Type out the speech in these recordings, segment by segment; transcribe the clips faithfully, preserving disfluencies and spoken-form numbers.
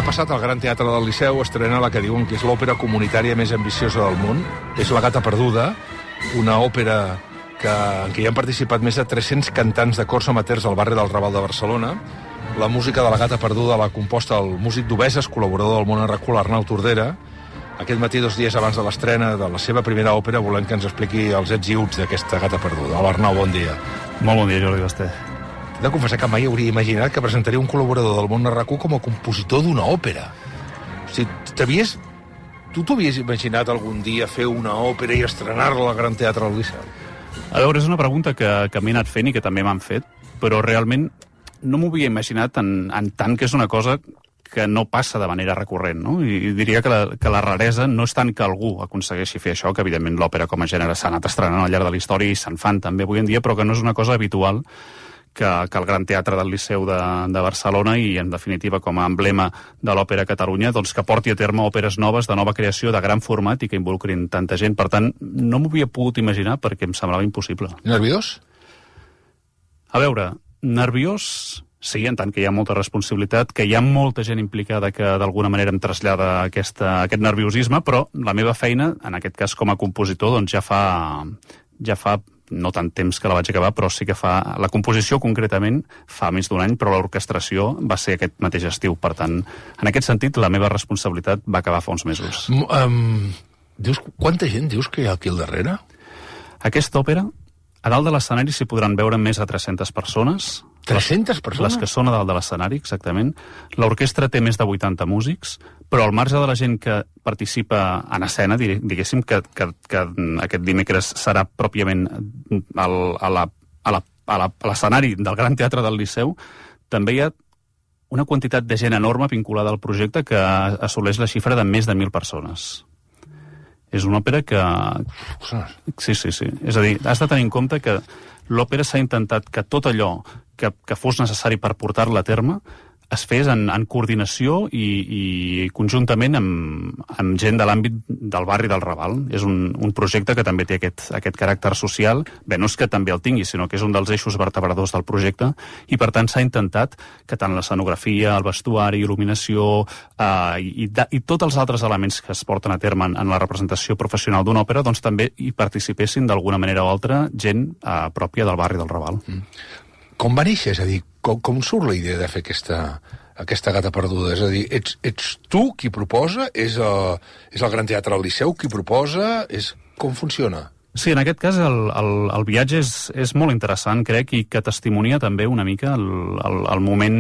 Demà passat al Gran Teatre del Liceu estrena la que diuen que és l'òpera comunitària més ambiciosa del món. És La gata perduda, una òpera que, en què hi han participat més de tres-cents cantants de cors amateurs al barri del Raval de Barcelona. La música de La gata perduda l'ha composta el músic d'Obeses, col·laborador del Món Arracú, l'Arnau Tordera. Aquest matí, dos dies abans de l'estrena de la seva primera òpera, volem que ens expliqui els ets i uts d'aquesta gata perduda. Hola, Arnau, bon dia. Molt bon dia, Jordi Basté. He de confessar que mai hauria imaginat que presentaria un col·laborador del Món Arracú com a compositor d'una òpera. O sigui, t'havies... Tu t'ho havies imaginat algun dia fer una òpera i estrenar-la al Gran Teatre del Liceu? A veure, és una pregunta que, que m'he anat fent i que també m'han fet, però realment no m'ho havia imaginat en, en tant que és una cosa que no passa de manera recurrent, no? I diria que la, que la raresa no és tant que algú aconsegueixi fer això, que evidentment l'òpera com a gènere s'ha anat estrenant al llarg de la història i se'n fan també avui en dia, però que no és una cosa habitual que, que el Gran Teatre del Liceu de, de Barcelona i, en definitiva, com a emblema de l'òpera a Catalunya, doncs que porti a terme òperes noves, de nova creació, de gran format i que involucrin tanta gent. Per tant, no m'ho havia pogut imaginar perquè em semblava impossible. Nerviós? A veure, nerviós... Sí, en tant que hi ha molta responsabilitat, que hi ha molta gent implicada que d'alguna manera em trasllada aquesta, aquest nerviosisme, però la meva feina, en aquest cas com a compositor, doncs ja fa, ja fa no tant temps que la vaig acabar, però sí que fa... La composició, concretament, fa més d'un any, però l'orquestració va ser aquest mateix estiu. Per tant, en aquest sentit, la meva responsabilitat va acabar fa uns mesos. Um, dius, quanta gent dius que hi ha aquí al darrere? Aquesta òpera, a dalt de l'escenari s'hi podran veure més de tres-centes persones. tres-centes persones? Les que són a dalt de l'escenari, exactament. L'orquestra té més de vuitanta músics, però al marge de la gent que participa en escena, diguéssim que, que, que aquest dimecres serà pròpiament al, a la, a la, a la, a l'escenari del Gran Teatre del Liceu, també hi ha una quantitat de gent enorme vinculada al projecte que assoleix la xifra de més de mil persones. És una òpera que... Sí, sí, sí. És a dir, has de tenir en compte que l'òpera s'ha intentat que tot allò que, que fos necessari per portar-la a terme es fes en, en coordinació i, i conjuntament amb, amb gent de l'àmbit del barri del Raval. És un, un projecte que també té aquest, aquest caràcter social. Bé, no és que també el tingui, sinó que és un dels eixos vertebradors del projecte i, per tant, s'ha intentat que tant l'escenografia, el vestuari, il·luminació eh, i, i tots els altres elements que es porten a terme en, en la representació professional d'una òpera doncs també hi participessin d'alguna manera o altra gent eh, pròpia del barri del Raval. Mm. Com va néixer? És a dir, com, com surt la idea de fer aquesta, aquesta gata perduda? És a dir, ets, ets tu qui proposa? És el, és el Gran Teatre del Liceu qui proposa? És, com funciona? Sí, en aquest cas el, el, el viatge és, és molt interessant, crec, i que testimonia també una mica el, el, el moment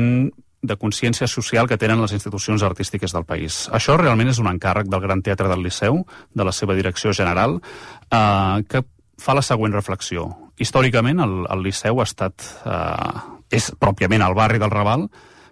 de consciència social que tenen les institucions artístiques del país. Això realment és un encàrrec del Gran Teatre del Liceu, de la seva direcció general, eh, que fa la següent reflexió. Històricament, el, el Liceu ha estat... Eh, és pròpiament al barri del Raval,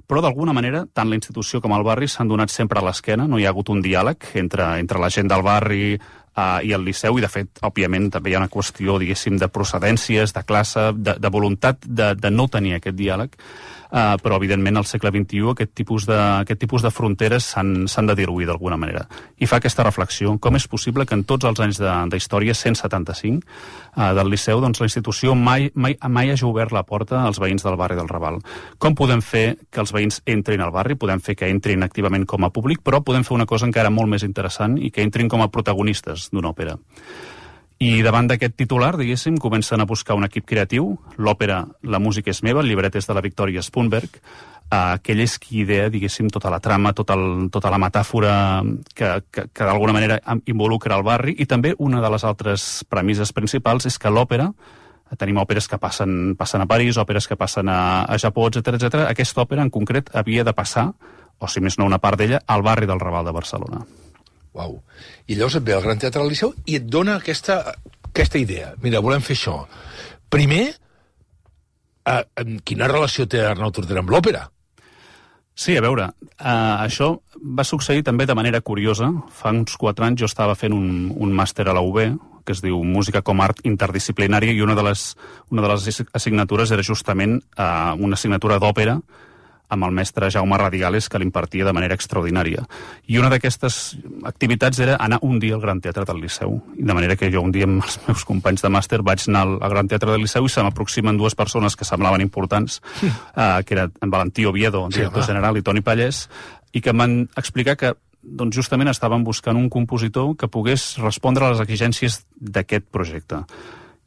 però d'alguna manera, tant la institució com el barri s'han donat sempre a l'esquena, no hi ha hagut un diàleg entre, entre la gent del barri eh, i el Liceu, i de fet, òbviament, també hi ha una qüestió, diguéssim, de procedències, de classe, de, de voluntat de, de no tenir aquest diàleg, eh, però, evidentment, al segle vint-i-u aquest tipus de, aquest tipus de fronteres s'han de diluir d'alguna manera. I fa aquesta reflexió. Com és possible que en tots els anys d'història, cent setanta-cinc, eh, del Liceu, doncs la institució mai, mai, mai hagi obert la porta als veïns del barri del Raval? Com podem fer que els veïns entrin al barri? Podem fer que entrin activament com a públic, però podem fer una cosa encara molt més interessant i que entrin com a protagonistes d'una òpera. I davant d'aquest titular, diguéssim, comencen a buscar un equip creatiu. L'òpera La música és meva, el llibret és de la Victòria Spunberg. Uh, que ell és qui idea, diguéssim, tota la trama, tota, el, tota la metàfora que, que, que d'alguna manera involucra el barri. I també una de les altres premisses principals és que l'òpera, tenim òperes que passen, passen a París, òperes que passen a, a Japó, etcètera, etcètera. Aquesta òpera en concret havia de passar, o si més no una part d'ella, al barri del Raval de Barcelona. Uau. I llavors et ve al Gran Teatre del Liceu i et dona aquesta, aquesta idea. Mira, volem fer això. Primer, eh, quina relació té Arnau Tordera amb l'òpera? Sí, a veure, eh, això va succeir també de manera curiosa. Fa uns quatre anys jo estava fent un, un màster a la U B, que es diu Música com a art interdisciplinària, i una de les, una de les assignatures era justament eh, una assignatura d'òpera amb el mestre Jaume Radigales, que l'impartia de manera extraordinària. I una d'aquestes activitats era anar un dia al Gran Teatre del Liceu. I de manera que jo un dia amb els meus companys de màster vaig anar al Gran Teatre del Liceu i se m'aproximen dues persones que semblaven importants, mm. eh, que eren en Valentí Oviedo, director sí, general, i Toni Pallès, i que em van explicar que doncs justament estaven buscant un compositor que pogués respondre a les exigències d'aquest projecte.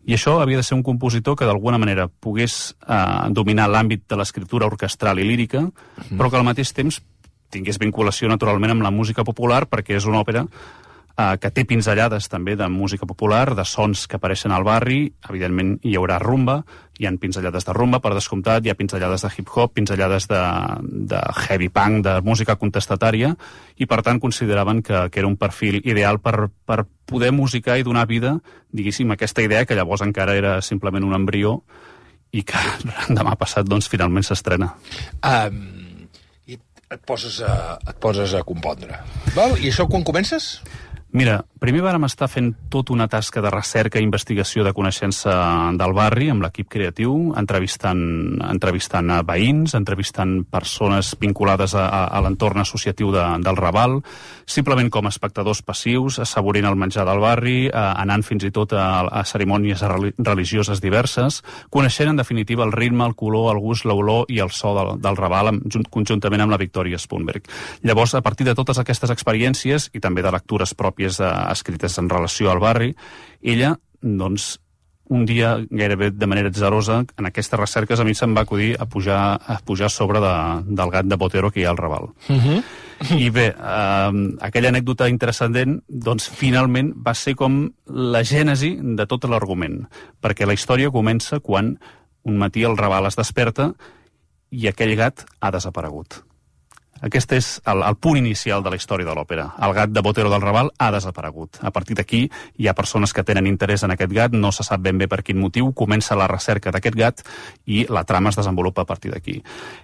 I això havia de ser un compositor que d'alguna manera pogués eh, dominar l'àmbit de l'escriptura orquestral i lírica, mm. però que al mateix temps tingués vinculació naturalment amb la música popular, perquè és una òpera eh, que té pinzellades també de música popular, de sons que apareixen al barri. Evidentment hi haurà rumba, hi ha pinzellades de rumba, per descomptat, hi ha pinzellades de hip-hop, pinzellades de, de heavy punk, de música contestatària, i per tant consideraven que, que era un perfil ideal per, per poder musicar i donar vida, diguéssim, a aquesta idea que llavors encara era simplement un embrió i que demà passat, doncs, finalment s'estrena. Um, I et poses a, et poses a compondre. Val? I això quan comences? Mira, primer vàrem estar fent tota una tasca de recerca i investigació de coneixença del barri amb l'equip creatiu, entrevistant, entrevistant a veïns, entrevistant persones vinculades a, a l'entorn associatiu de, del Raval, simplement com a espectadors passius, assaborint el menjar del barri, eh, anant fins i tot a, a cerimònies religioses diverses, coneixent en definitiva el ritme, el color, el gust, l'olor i el so del, del Raval amb, conjuntament amb la Victòria Spunberg. Llavors, a partir de totes aquestes experiències i també de lectures pròpies escrites en relació al barri, ella, doncs, un dia, gairebé de manera atzarosa, en aquestes recerques a mi se'm va acudir a pujar, a pujar sobre de, del gat de Botero que hi ha al Raval. Uh-huh. I bé, eh, aquella anècdota interessant, doncs, finalment va ser com la gènesi de tot l'argument, perquè la història comença quan un matí el Raval es desperta i aquell gat ha desaparegut. Aquest és el, el punt inicial de la història de l'òpera. El gat de Botero del Raval ha desaparegut. A partir d'aquí hi ha persones que tenen interès en aquest gat, no se sap ben bé per quin motiu, comença la recerca d'aquest gat i la trama es desenvolupa a partir d'aquí.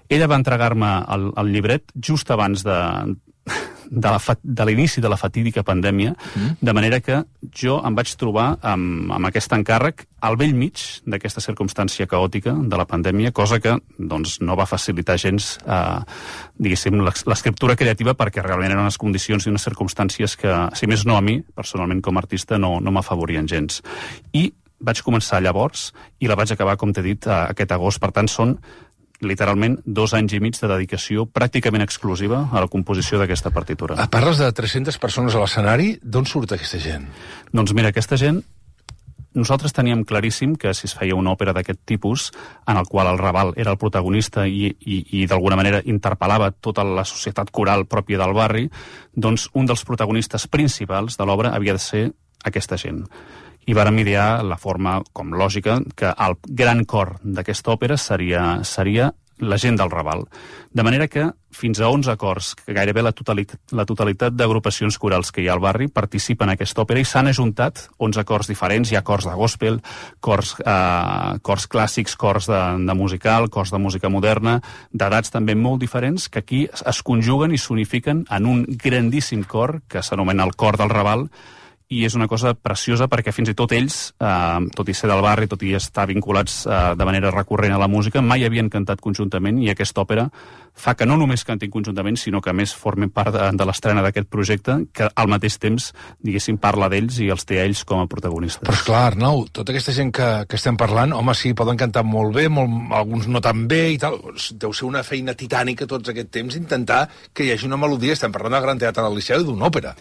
Ella va entregar-me el, el llibret just abans de... de, la fa, de l'inici de la fatídica pandèmia, mm. de manera que jo em vaig trobar amb, amb aquest encàrrec al bell mig d'aquesta circumstància caòtica de la pandèmia, cosa que doncs, no va facilitar gens eh, diguéssim, l'escriptura creativa, perquè realment eren unes condicions i unes circumstàncies que, si més no a mi, personalment com a artista, no, no m'afavorien gens. I vaig començar llavors i la vaig acabar, com t'he dit, aquest agost. Per tant, són literalment dos anys i mig de dedicació pràcticament exclusiva a la composició d'aquesta partitura. Parles de tres-centes persones a l'escenari. D'on surt aquesta gent? Doncs mira, aquesta gent, nosaltres teníem claríssim que si es feia una òpera d'aquest tipus, en el qual el Raval era el protagonista i, i, i d'alguna manera interpel·lava tota la societat coral pròpia del barri, doncs un dels protagonistes principals de l'obra havia de ser aquesta gent. I vàrem idear la forma, com lògica, que el gran cor d'aquesta òpera seria, seria la gent del Raval. De manera que fins a onze cors, que gairebé la totalitat, la totalitat d'agrupacions corals que hi ha al barri participen en aquesta òpera i s'han ajuntat onze cors diferents. Hi ha cors de gospel, cors, eh, cors clàssics, cors de, de musical, cors de música moderna, d'edats també molt diferents, que aquí es conjuguen i s'unifiquen en un grandíssim cor que s'anomena el Cor del Raval, i és una cosa preciosa perquè fins i tot ells, eh, tot i ser del barri, tot i estar vinculats eh, de manera recurrent a la música, mai havien cantat conjuntament, i aquesta òpera fa que no només cantin conjuntament, sinó que a més formen part de, de l'estrena d'aquest projecte, que al mateix temps, diguéssim, parla d'ells i els té ells com a protagonistes. Però esclar, Arnau, tota aquesta gent que, que estem parlant, home, sí, poden cantar molt bé, molt, alguns no tan bé i tal, deu ser una feina titànica tots aquest temps intentar que hi hagi una melodia. Estem parlant del Gran Teatre del Liceu i d'una òpera.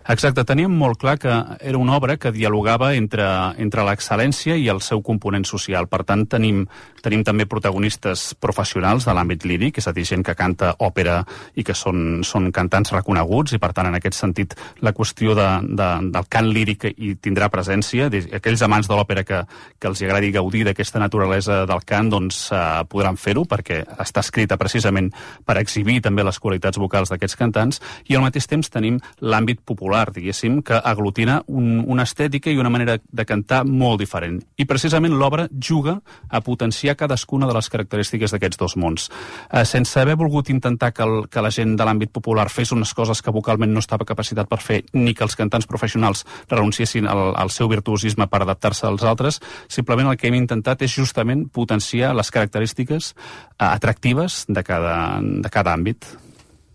Exacte, teníem molt clar que era una obra que dialogava entre, entre l'excel·lència i el seu component social. Per tant, tenim, tenim també protagonistes professionals de l'àmbit líric, és a dir, gent que canta òpera i que són, són cantants reconeguts, i per tant, en aquest sentit, la qüestió de, de, del cant líric hi tindrà presència. Aquells amants de l'òpera que, que els agradi gaudir d'aquesta naturalesa del cant, doncs eh, podran fer-ho, perquè està escrita precisament per exhibir també les qualitats vocals d'aquests cantants, i al mateix temps tenim l'àmbit popular, diguéssim, que aglutina un, una estètica i una manera de cantar molt diferent. I precisament l'obra juga a potenciar cadascuna de les característiques d'aquests dos mons. Eh, sense haver volgut intentar que, el, que la gent de l'àmbit popular fes unes coses que vocalment no estava capacitat per fer, ni que els cantants professionals renunciessin al, al seu virtuosisme per adaptar-se als altres, simplement el que hem intentat és justament potenciar les característiques eh, atractives de cada, de cada àmbit.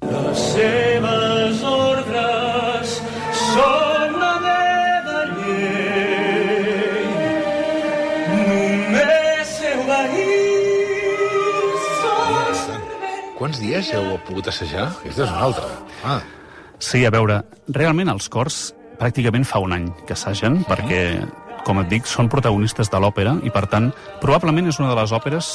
Les seves ordres són la meva llei, només heu d'ahir sol servent. quants dies heu pogut assajar? Aquesta és una altra. Ah. Sí, a veure, realment els cors pràcticament fa un any que assagen, perquè, com et dic, són protagonistes de l'òpera i, per tant, probablement és una de les òperes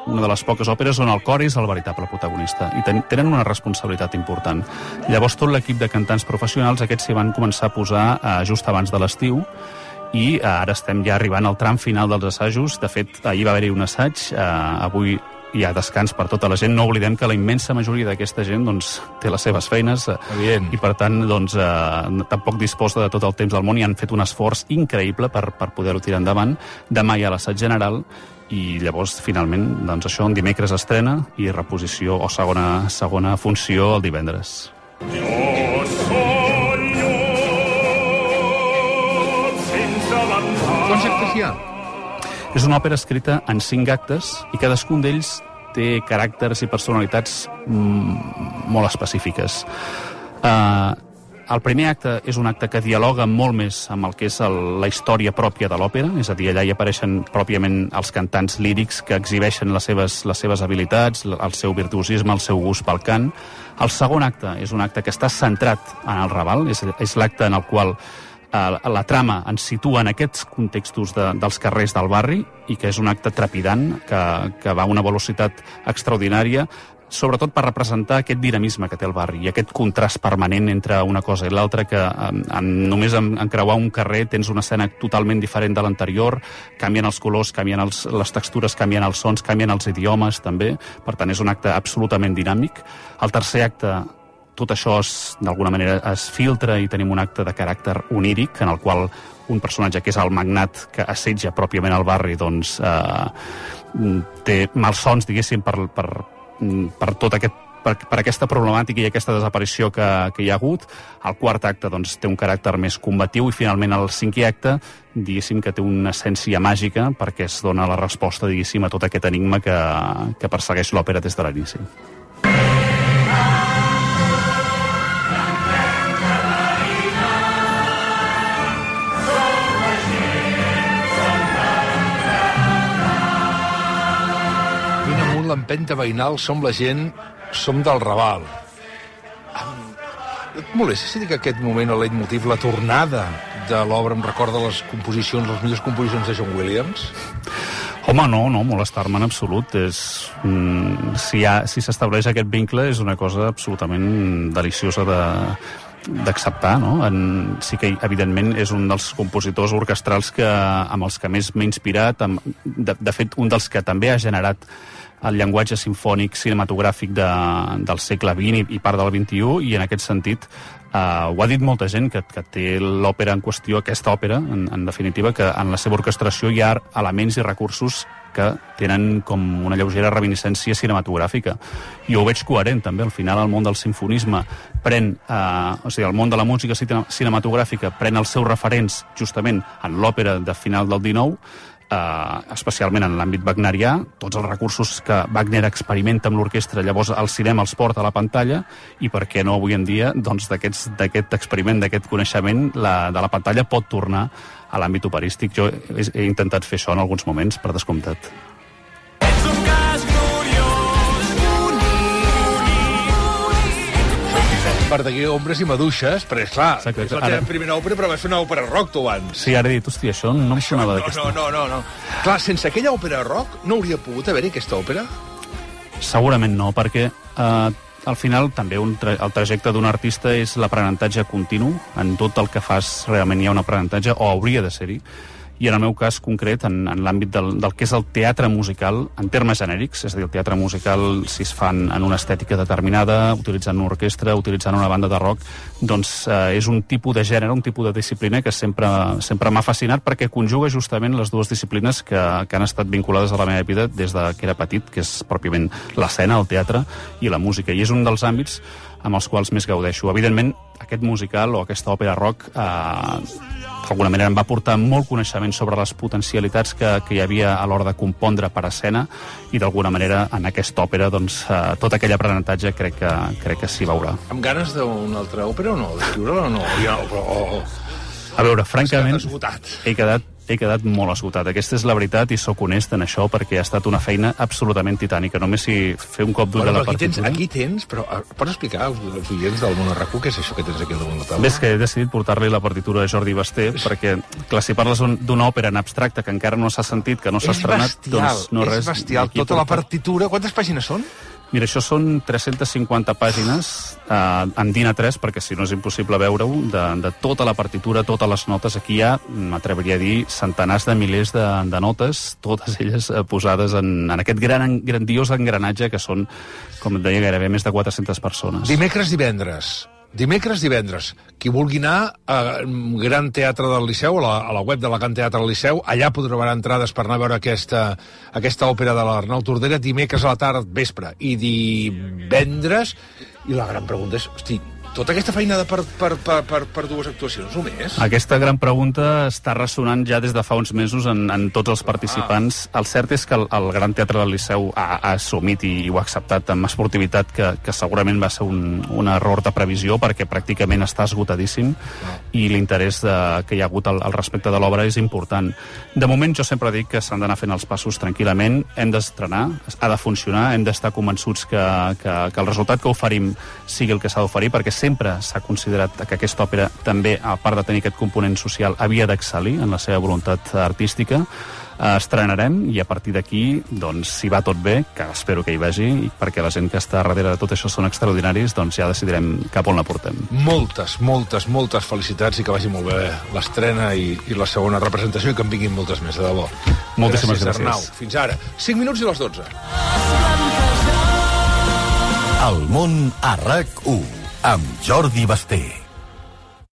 una de les poques òperes on el cor és el veritable protagonista i ten tenen una responsabilitat important. Llavors tot l'equip de cantants professionals, aquests s'hi van començar a posar eh, just abans de l'estiu i eh, ara estem ja arribant al tram final dels assajos. De fet, ahir va haver-hi un assaig, eh, avui hi ha descans per tota la gent. No oblidem que la immensa majoria d'aquesta gent doncs, té les seves feines eh, i, per tant, doncs, eh, tampoc disposa de tot el temps del món i han fet un esforç increïble per, per poder-ho tirar endavant. Demà hi ha l'assaig general i llavors, finalment, doncs això, en dimecres estrena i reposició o segona, segona funció el divendres. Quants actes hi ha? És una òpera escrita en cinc actes i cadascun d'ells té caràcters i personalitats mm, molt específiques. Uh, El primer acte és un acte que dialoga molt més amb el que és el, la història pròpia de l'òpera, és a dir, allà hi apareixen pròpiament els cantants lírics que exhibeixen les seves, les seves habilitats, el seu virtuosisme, el seu gust pel cant. El segon acte és un acte que està centrat en el Raval, és, és l'acte en el qual eh, la trama ens situa en aquests contextos de, dels carrers del barri i que és un acte trepidant, que, que va a una velocitat extraordinària, sobretot per representar aquest dinamisme que té el barri i aquest contrast permanent entre una cosa i l'altra, que en, en, només en, en creuar un carrer tens una escena totalment diferent de l'anterior, canvien els colors, canvien els, les textures, canvien els sons, canvien els idiomes també, per tant és un acte absolutament dinàmic. El tercer acte, tot això d'alguna manera es filtra i tenim un acte de caràcter oníric en el qual un personatge que és el magnat que assetja pròpiament el barri doncs eh, té malsons, diguéssim, per, per per tot aquest per, per aquesta problemàtica i aquesta desaparició que, que hi ha hagut. El quart acte doncs, té un caràcter més combatiu i finalment el cinquè acte, diguéssim que té una essència màgica perquè es dona la resposta, diguéssim, a tot aquest enigma que, que persegueix l'òpera des de l'inici. L'empenta veïnal, som la gent, som del Raval. Et molesta si dic que aquest moment, el leitmotiv, la tornada de l'obra em recorda les composicions, les millors composicions de John Williams? Home, no, no, molestar-me en absolut. És, mm, si hi si s'estableix aquest vincle és una cosa absolutament deliciosa de d'acceptar, no? En, sí que, evidentment, és un dels compositors orquestrals que, amb els que més m'he inspirat, amb, de, de fet, un dels que també ha generat el llenguatge sinfònic cinematogràfic de, del segle vint i, i part del vint-i-u, i en aquest sentit eh, ho ha dit molta gent que, que té l'òpera en qüestió, aquesta òpera, en, en definitiva, que en la seva orquestració hi ha elements i recursos que tenen com una lleugera reminiscència cinematogràfica. I ho veig coherent, també. Al final, el món del simfonisme pren, eh, o sigui, el món de la música cinematogràfica pren els seus referents justament en l'òpera de final del dinou, Uh, especialment en l'àmbit wagnerià, tots els recursos que Wagner experimenta amb l'orquestra, llavors el cinema els porta a la pantalla, i per què no avui en dia, doncs d'aquest experiment, d'aquest coneixement, la, de la pantalla pot tornar a l'àmbit operístic. Jo he, he intentat fer això en alguns moments, per descomptat. Verdaguer, Ombres i Maduixes, perquè, esclar, Exacte, és la teva ara... primera òpera, però vas fer una òpera rock, tu, abans. Sí, ara he dit, hòstia, això no em sonava d'aquesta. No, no, no, no. Clar, sense aquella òpera rock no hauria pogut haver-hi aquesta òpera? Segurament no, perquè eh, al final també un tra el trajecte d'un artista és l'aprenentatge continu. En tot el que fas realment hi ha un aprenentatge, o hauria de ser-hi. I en el meu cas concret, en, en l'àmbit del, del que és el teatre musical, en termes genèrics, és a dir, el teatre musical, si es fan en una estètica determinada, utilitzant una orquestra, utilitzant una banda de rock, doncs eh, és un tipus de gènere, un tipus de disciplina que sempre, sempre m'ha fascinat, perquè conjuga justament les dues disciplines que, que han estat vinculades a la meva vida des de que era petit, que és pròpiament l'escena, el teatre i la música. I és un dels àmbits amb els quals més gaudeixo. Evidentment, aquest musical o aquesta òpera rock eh, d'alguna manera em va portar molt coneixement sobre les potencialitats que, que hi havia a l'hora de compondre per escena, i d'alguna manera en aquesta òpera doncs, eh, tot aquell aprenentatge crec que, crec que s'hi veurà. Amb ganes d'una altra òpera o no? D'escriure-la o no? O, o... A veure, francament, he quedat he quedat molt esgotat. Aquesta és la veritat i sóc honest en això, perquè ha estat una feina absolutament titànica. Només si fer un cop d'ull a la aquí tens, partitura... aquí tens, però pots explicar als, als oients del Món Arracú què és això que tens aquí al damunt la taula? Ves que he decidit portar-li la partitura de Jordi Basté, perquè, clar, si parles d'una òpera en abstracte que encara no s'ha sentit, que no s'ha estrenat... És bestial, doncs no és res, bestial. Tota la partitura... Quantes pàgines són? Mira, això són tres-centes cinquanta pàgines eh, en D I N A tres, perquè si no és impossible veure-ho, de, de tota la partitura, totes les notes. Aquí hi ha, m'atreviria a dir, centenars de milers de, de notes, totes elles eh, posades en, en aquest gran, grandiós engranatge que són, com et deia, gairebé més de quatre-centes persones. Dimecres, divendres. Dimecres, divendres. Qui vulgui anar al Gran Teatre del Liceu, a la, a la web de la Gran Teatre del Liceu, allà podrà veure entrades per anar a veure aquesta, aquesta òpera de l'Arnau Tordera, dimecres a la tarda, vespre, i divendres. I la gran pregunta és, hosti, tota aquesta feinada per, per, per, per, per dues actuacions, només? Aquesta gran pregunta està ressonant ja des de fa uns mesos en, en tots els participants. Ah. El cert és que el, el Gran Teatre del Liceu ha, ha assumit i, i ho ha acceptat amb esportivitat, que, que segurament va ser un, un error de previsió, perquè pràcticament està esgotadíssim ah. i l'interès de, que hi ha hagut al, al respecte de l'obra és important. De moment jo sempre dic que s'han d'anar fent els passos tranquil·lament, hem d'estrenar, ha de funcionar, hem d'estar convençuts que, que, que el resultat que oferim sigui el que s'ha d'oferir, perquè sempre s'ha considerat que aquesta òpera també, a part de tenir aquest component social, havia d'excel·lir en la seva voluntat artística. Estrenarem i a partir d'aquí, doncs, si va tot bé, que espero que hi vagi, perquè la gent que està darrere de tot això són extraordinaris, doncs ja decidirem cap on la portem. Moltes, moltes, moltes felicitats i que vagi molt bé l'estrena i, i la segona representació i que en vinguin moltes més, de debò. Moltíssimes gràcies. Arnau. Fins ara. cinc minuts i les dotze. El món a RAC u amb Jordi Basté.